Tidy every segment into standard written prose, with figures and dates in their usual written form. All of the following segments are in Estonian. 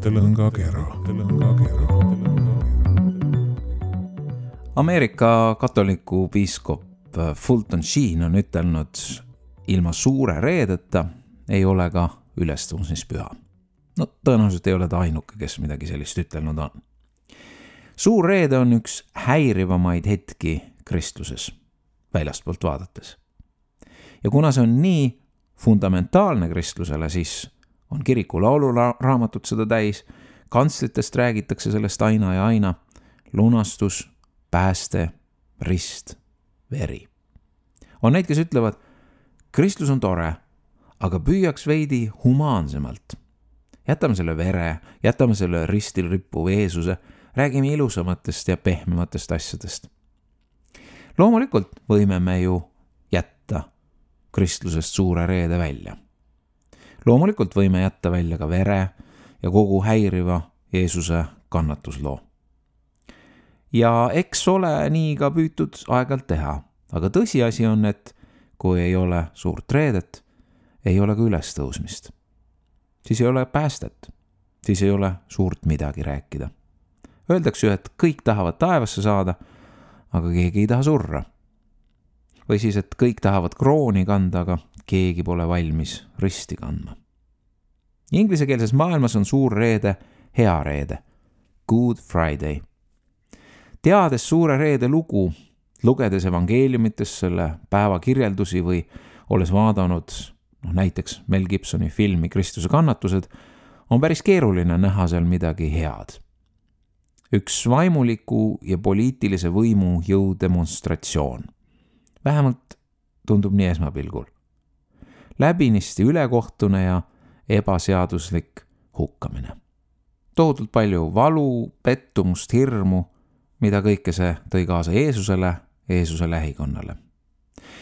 Tõlõngakera. Ameerika katoliku piiskop Fulton Sheen on ütelnud, ilma suure reedeta ei ole ka ülestõusmispüha. No tõenäoliselt ei ole ta ainuke, kes midagi sellist ütelnud on. Suur reede on üks häirivamaid hetki kristluses, väljastpoolt vaadates. Ja kuna see on nii fundamentaalne kristlusele, siis on kiriku lauluraamatut seda täis, kantslitest räägitakse sellest aina ja aina, lunastus, pääste, rist, veri. On neid, kes ütlevad, kristlus on tore, aga püüaks veidi humaansemalt. Jätame selle vere, jätame selle ristil rippuva Jeesuse, räägime ilusamatest ja pehmematest asjadest. Loomulikult võime me ju jätta kristlusest suure reede välja. Loomulikult võime jätta välja ka vere ja kogu häiriva Jeesuse kannatusloo. Ja eks ole nii ka püütud aeg-ajalt teha, aga tõsiasi on, et kui ei ole suurt reedet, ei ole ka ülestõusmist. Siis ei ole päästet, siis ei ole suurt midagi rääkida. Öeldakse ju, et kõik tahavad taevasse saada, aga keegi ei taha surra. Või siis, et kõik tahavad krooni kanda, aga keegi pole valmis risti kandma. Inglisekeelses maailmas on suur reede hea reede, Good Friday. Teades suure reede lugu, lugedes evangeeliumites selle päeva kirjeldusi või olles vaadanud näiteks Mel Gibsoni filmi Kristuse kannatused, on päris keeruline näha seal midagi head. Üks vaimuliku ja poliitilise võimu jõudemonstratsioon. Vähemalt tundub nii esmapilgul. Läbinisti ülekohtune ja ebaseaduslik hukkamine. Tohutult palju valu, pettumust, hirmu, mida kõike see tõi kaasa Jeesuse lähikonnale.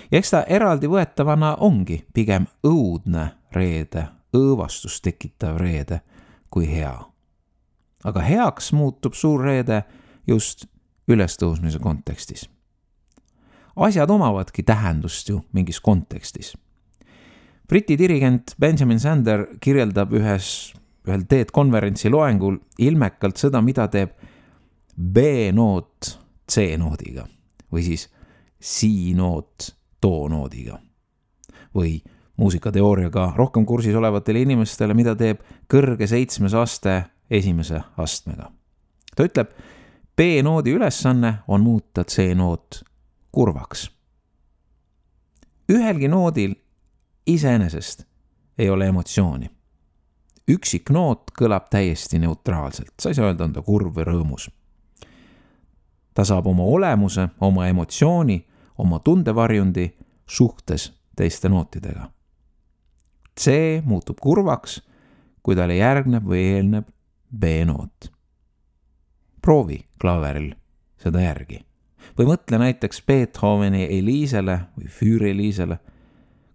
Ja eks ta eraldi võetavana ongi pigem õudne reede, õõvastust tekitav reede kui hea. Aga heaks muutub suur reede just ülestõusmise kontekstis. Asjad omavadki tähendust ju mingis kontekstis. Briti dirigent Benjamin Sander kirjeldab ühel TED-konverentsi loengul ilmekalt seda, mida teeb B-noot C-noodiga või siis C-noot do-noodiga või muusikateooriaga rohkem kursis olevatele inimestele, mida teeb kõrge 7. aste esimese astmega. Ta ütleb, B-noodi ülesanne on muuta C-noot kurvaks. Ühelgi noodil iseenesest ei ole emotsiooni. Üksik noot kõlab täiesti neutraalselt. Sa ei saa öelda, on ta kurv või rõõmus. Ta saab oma olemuse, oma emotsiooni, oma tundevarjundi suhtes teiste nootidega. C muutub kurvaks, kui talle järgneb või eelneb B-noot. Proovi klaveril seda järgi. Või mõtle näiteks Beethoveni Eliisele või Füüreliisele,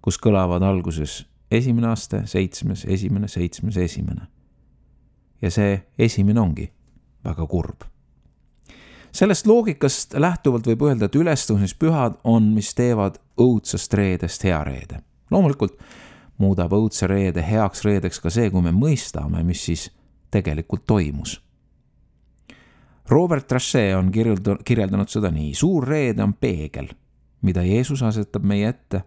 kus kõlavad alguses esimene aste, 7., esimene, 7., esimene. Ja see esimene ongi väga kurb. Sellest loogikast lähtuvalt võib öelda, et ülestõusmispühad on, mis teevad õudsest reedest hea reede. Loomulikult muudab õudse reede heaks reedeks ka see, kui me mõistame, mis siis tegelikult toimus. Robert Trachet on kirjeldanud seda nii. Suur reede on peegel, mida Jeesus asetab meie ette,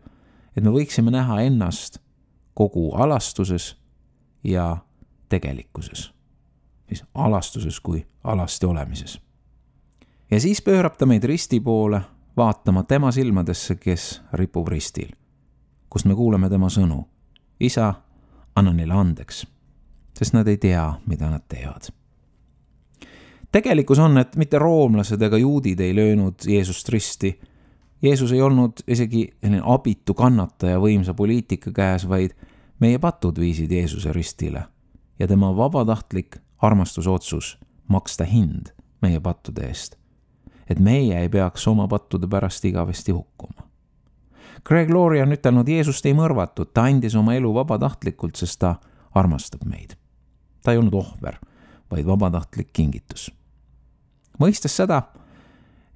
et me võiksime näha ennast kogu alastuses ja tegelikkuses. Siis alastuses kui alasti olemises. Ja siis pöörab ta meid risti poole, vaatama tema silmadesse, kes ripub ristil, kust me kuuleme tema sõnu. Isa, anna neile andeks, sest nad ei tea, mida nad teevad. Tegelikkus on, et mitte roomlased ega juudid ei löönud Jeesust risti. Jeesus ei olnud isegi abitu kannataja võimsa poliitika käes, vaid meie patud viisid Jeesuse ristile ja tema vabatahtlik armastusotsus maksta hind meie pattude eest, et meie ei peaks oma pattude pärast igavesti hukkuma. Greg Laurie on ütelnud, Jeesust ei mõrvatud, ta andis oma elu vabatahtlikult, sest ta armastab meid. Ta ei olnud ohver, vaid vabatahtlik kingitus. Mõistes seda,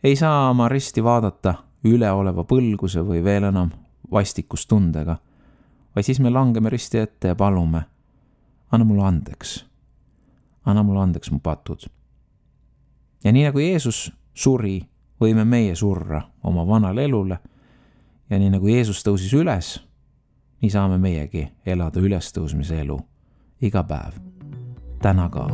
ei saa oma risti vaadata üleoleva põlguse või veel enam vastikustundega, vaid siis me langeme risti ette ja palume, anna mulle andeks. anna mulle andeks mu patud. Ja nii nagu Jeesus suri, võime meie surra oma vanale elule ja nii nagu Jeesus tõusis üles, nii saame meiegi elada ülestõusmise elu iga päev. Täna ka.